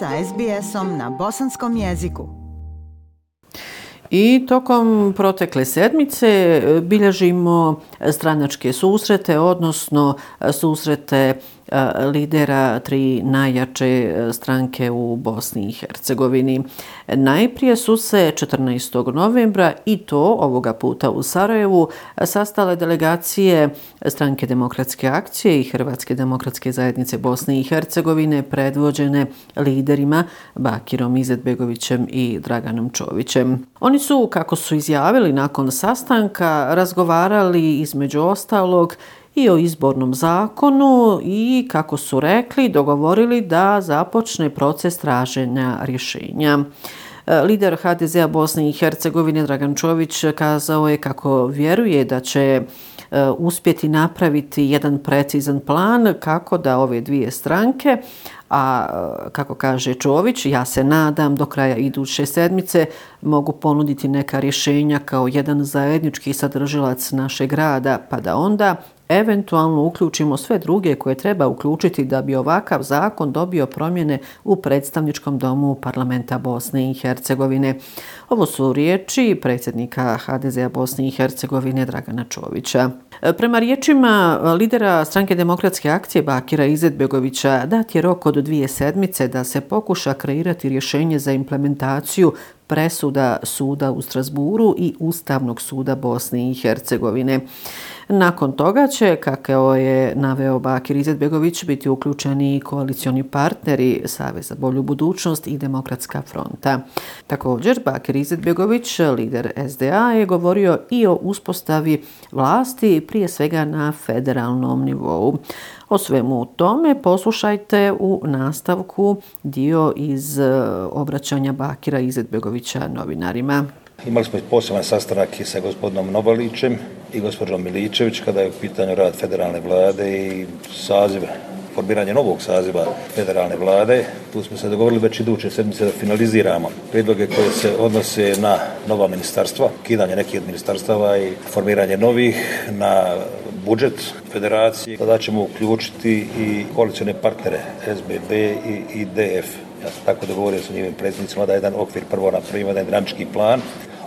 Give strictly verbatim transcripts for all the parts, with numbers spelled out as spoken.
sa es be esom na bosanskom jeziku. I tokom protekle sedmice bilježimo stranačke susrete, odnosno susrete lidera tri najjače stranke u Bosni i Hercegovini. Najprije su se četrnaestog novembra i to ovoga puta u Sarajevu sastale delegacije Stranke demokratske akcije i Hrvatske demokratske zajednice Bosne i Hercegovine predvođene liderima Bakirom Izetbegovićem i Draganom Čovićem. Oni su, kako su izjavili nakon sastanka, razgovarali između ostalog i o izbornom zakonu i, kako su rekli, dogovorili da započne proces traženja rješenja. Lider ha de zea Bosne i Hercegovine Dragan Čović kazao je kako vjeruje da će uspjeti napraviti jedan precizan plan kako da ove dvije stranke, a kako kaže Čović, ja se nadam do kraja iduće sedmice mogu ponuditi neka rješenja kao jedan zajednički sadržilac našeg rada, pa da onda eventualno uključimo sve druge koje treba uključiti da bi ovakav zakon dobio promjene u predstavničkom domu parlamenta Bosne i Hercegovine. Ovo su riječi predsjednika ha de zea Bosne i Hercegovine Dragana Čovića. Prema riječima lidera Stranke demokratske akcije Bakira Izetbegovića dat je rok od dvije sedmice da se pokuša kreirati rješenje za implementaciju presuda suda u Strasburu i Ustavnog suda Bosne i Hercegovine. Nakon toga će, kako je naveo Bakir Izetbegović, biti uključeni koalicioni partneri Savez za bolju budućnost i Demokratska fronta. Također, Bakir Izetbegović, lider es de a, je govorio i o uspostavi vlasti, prije svega na federalnom nivou. O svemu tome poslušajte u nastavku dio iz obraćanja Bakira Izetbegovića novinarima. Imali smo poseban sastanak i sa gospodinom Nobalićem i gospođom Miličević kada je u pitanju rad federalne vlade i saziv, formiranje novog saziva federalne vlade. Tu smo se dogovorili već iduće sedmice da finaliziramo prijedloge koje se odnose na nova ministarstva, kidanje nekih od ministarstava i formiranje novih, na budžet federacije. Tada ćemo uključiti i koalicione partnere es be be i i de ef. Ja sam tako dogovorio sa njivim predsjednicima da jedan okvir prvo napravimo, jedan granički plan,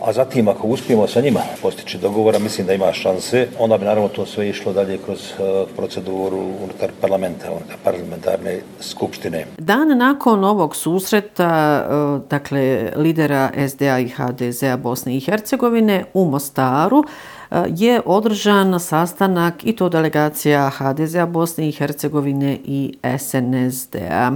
a zatim ako uspijemo sa njima postići dogovora, mislim da ima šanse, onda bi naravno to sve išlo dalje kroz uh, proceduru unutar parlamenta, unutar parlamentarne skupštine. Dan nakon ovog susreta, uh, dakle lidera es de a i ha de zea Bosne i Hercegovine u Mostaru, uh, je održan sastanak i to delegacija ha de zea Bosne i Hercegovine i es en es de a.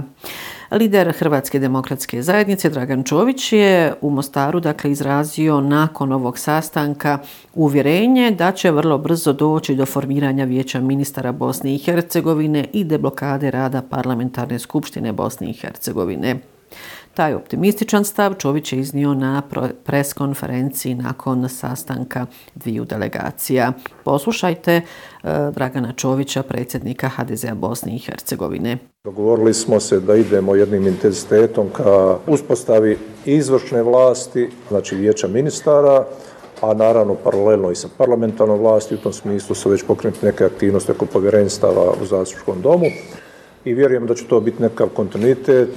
Lider Hrvatske demokratske zajednice Dragan Čović je u Mostaru dakle izrazio nakon ovog sastanka uvjerenje da će vrlo brzo doći do formiranja Vijeća ministara Bosne i Hercegovine i deblokade rada Parlamentarne skupštine Bosne i Hercegovine. Taj optimističan stav Čović je iznio na pres konferenciji nakon sastanka dviju delegacija. Poslušajte uh, Dragana Čovića, predsjednika ha de zea Bosne i Hercegovine. Dogovorili smo se da idemo jednim intenzitetom ka uspostavi izvršne vlasti, znači vijeća ministara, a naravno paralelno i sa parlamentarnom vlasti. U tom smislu su već pokrenuti neke aktivnosti oko povjerenstava u zastupničkom domu. I vjerujem da će to biti nekakav kontinuitet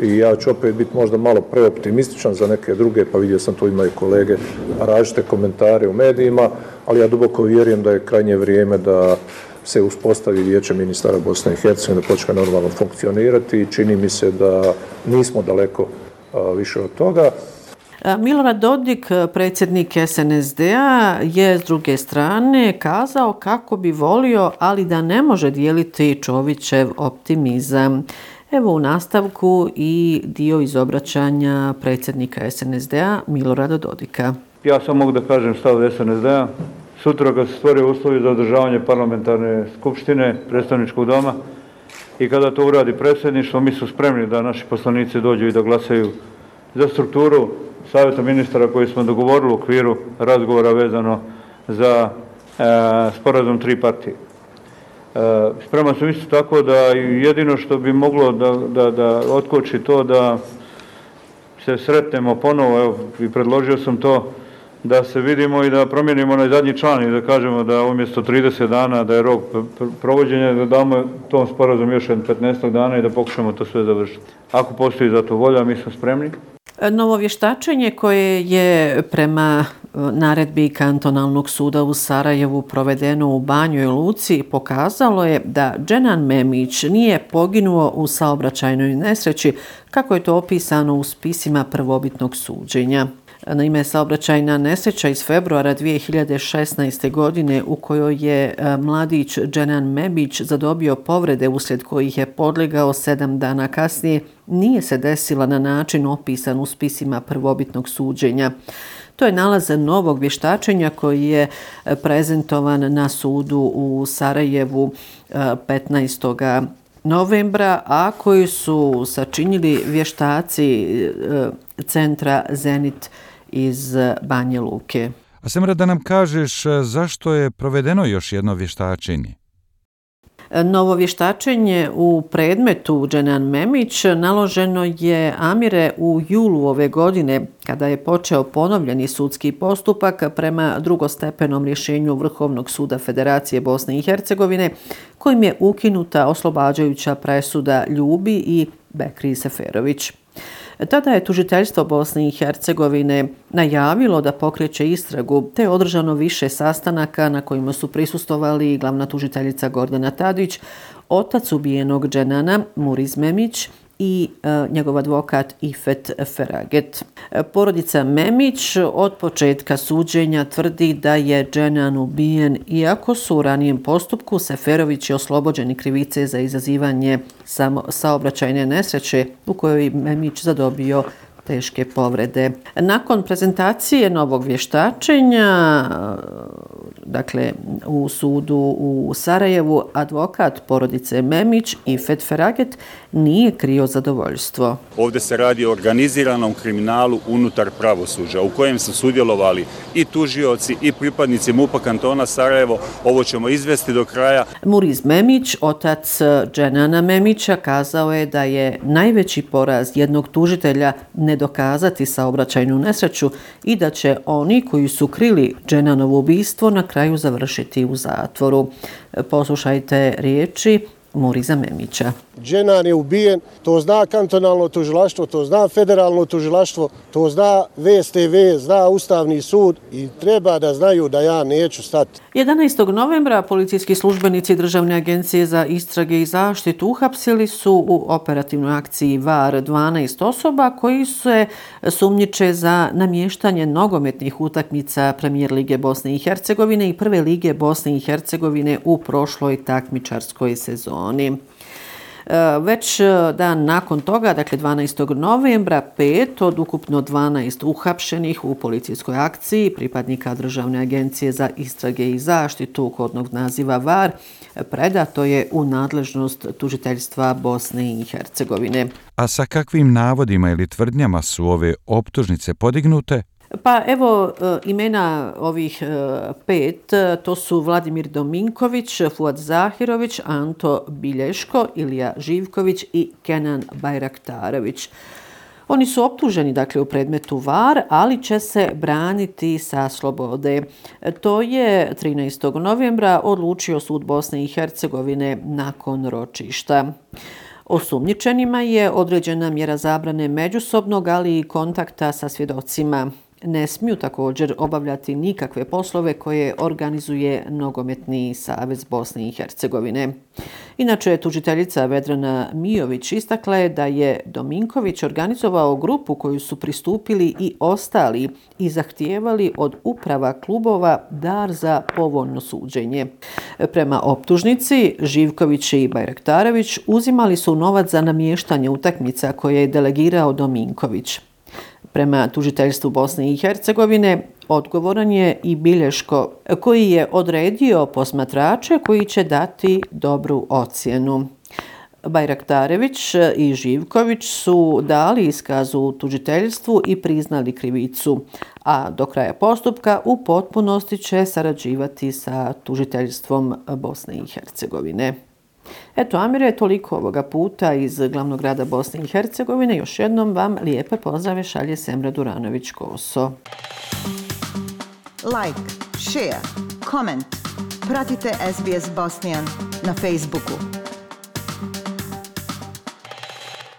i ja ću opet biti možda malo preoptimističan za neke druge, pa vidio sam tu imaju kolege različite komentare u medijima, ali ja duboko vjerujem da je krajnje vrijeme da se uspostavi Vijeće ministara Bosne i Hercegovine, da počne normalno funkcionirati i čini mi se da nismo daleko a, više od toga. Milorad Dodik, predsjednik es en es de a, je s druge strane kazao kako bi volio, ali da ne može dijeliti Čovićev optimizam. Evo u nastavku i dio iz obraćanja predsjednika es en es de a Milorada Dodika. Ja samo mogu da kažem stav es en es de a. Sutra kad se stvore uslovi za održavanje parlamentarne skupštine, predstavničkog doma i kada to uradi predsjedništvo, mi su spremni da naši poslanici dođu i da glasaju za strukturu savjeta ministara koji smo dogovorili u okviru razgovora vezano za e, sporazum tri partije. E, spreman sam isto tako da jedino što bi moglo da, da, da otkoči to da se sretnemo ponovo, evo i predložio sam to, da se vidimo i da promijenimo onaj zadnji član i da kažemo da umjesto trideset dana da je rok provođenja, da damo tom sporazumu još petnaest dana i da pokušamo to sve završiti. Ako postoji za to volja, mi smo spremni. Novo vještačenje koje je prema naredbi Kantonalnog suda u Sarajevu provedeno u Banjoj Luci pokazalo je da Dženan Memić nije poginuo u saobraćajnoj nesreći kako je to opisano u spisima prvobitnog suđenja. Naime, saobraćajna nesreća iz februara dvije hiljade šesnaeste. godine u kojoj je mladić Dženan Memić zadobio povrede uslijed kojih je podlegao sedam dana kasnije, nije se desila na način opisan u spisima prvobitnog suđenja. To je nalaz novog vještačenja koji je prezentovan na sudu u Sarajevu petnaestog novembra, a koji su sačinili vještaci centra Zenit iz Banje Luke. A Semra, da nam kažeš zašto je provedeno još jedno vještačenje? Novo vještačenje u predmetu Dženan Memić naloženo je Amire u julu ove godine, kada je počeo ponovljeni sudski postupak prema drugostepenom rješenju Vrhovnog suda Federacije Bosne i Hercegovine, kojim je ukinuta oslobađajuća presuda Ljubi i Bekri Seferović. Tada je tužiteljstvo Bosne i Hercegovine najavilo da pokreće istragu, te je održano više sastanaka na kojima su prisustvovali glavna tužiteljica Gordana Tadić, otac ubijenog Dženana Muriz Memić i e, njegov advokat Ifet Feraget. Porodica Memić od početka suđenja tvrdi da je Dženan ubijen, iako su u ranijem postupku Seferović je oslobođeni krivice za izazivanje samo saobraćajne nesreće u kojoj Memić zadobio teške povrede. Nakon prezentacije novog vještačenja, dakle u sudu u Sarajevu, advokat porodice Memić Ifet Feraget nije krio zadovoljstvo. Ovdje se radi o organiziranom kriminalu unutar pravosuđa u kojem su sudjelovali i tužioci i pripadnici MUP-a kantona Sarajevo. Ovo ćemo izvesti do kraja. Muriz Memić, otac Dženana Memića, kazao je da je najveći poraz jednog tužitelja ne dokazati saobraćajnu nesreću i da će oni koji su krili Dženanovo ubistvo na kraju završiti u zatvoru. Poslušajte riječi Muriza Memića. Dženan je ubijen, to zna kantonalno tužilaštvo, to zna federalno tužilaštvo, to zna V S T V, zna Ustavni sud i treba da znaju da ja neću stati. jedanaestog novembra policijski službenici Državne agencije za istrage i zaštitu uhapsili su u operativnoj akciji VAR dvanaest osoba koji se sumnjiče za namještanje nogometnih utakmica Premijer lige Bosne i Hercegovine i Prve lige Bosne i Hercegovine u prošloj takmičarskoj sezoni. Već dan nakon toga, dakle dvanaestog novembra, pet od ukupno dvanaest uhapšenih u policijskoj akciji pripadnika Državne agencije za istrage i zaštitu kodnog naziva VAR predato je u nadležnost tužiteljstva Bosne i Hercegovine. A sa kakvim navodima ili tvrdnjama su ove optužnice podignute? Pa evo imena ovih pet, to su Vladimir Dominković, Fuad Zahirović, Anto Bilješko, Ilija Živković i Kenan Bajraktarović. Oni su optuženi dakle u predmetu VAR, ali će se braniti sa slobode. To je trinaestog novembra odlučio sud Bosne i Hercegovine nakon ročišta. Osumnjičenima je određena mjera zabrane međusobnog, ali i kontakta sa svjedocima. Ne smiju također obavljati nikakve poslove koje organizuje Nogometni savez Bosne i Hercegovine. Inače, tužiteljica Vedrana Mijović istakla je da je Dominković organizovao grupu koju su pristupili i ostali i zahtijevali od uprava klubova dar za povoljno suđenje. Prema optužnici, Živković i Bajraktarović uzimali su novac za namještanje utakmica koje je delegirao Dominković. Prema tužiteljstvu Bosne i Hercegovine odgovoran je i Bilješko, koji je odredio posmatrače koji će dati dobru ocjenu. Bajraktarević i Živković su dali iskaz u tužiteljstvu i priznali krivicu, a do kraja postupka u potpunosti će sarađivati sa tužiteljstvom Bosne i Hercegovine. Eto, Amire, toliko ovoga puta iz glavnog grada Bosne i Hercegovine. Još jednom vam lijepe pozdrave šalje Semra Duranović-Koso. like, share, comment. Pratite S B S Bosnian na Facebooku.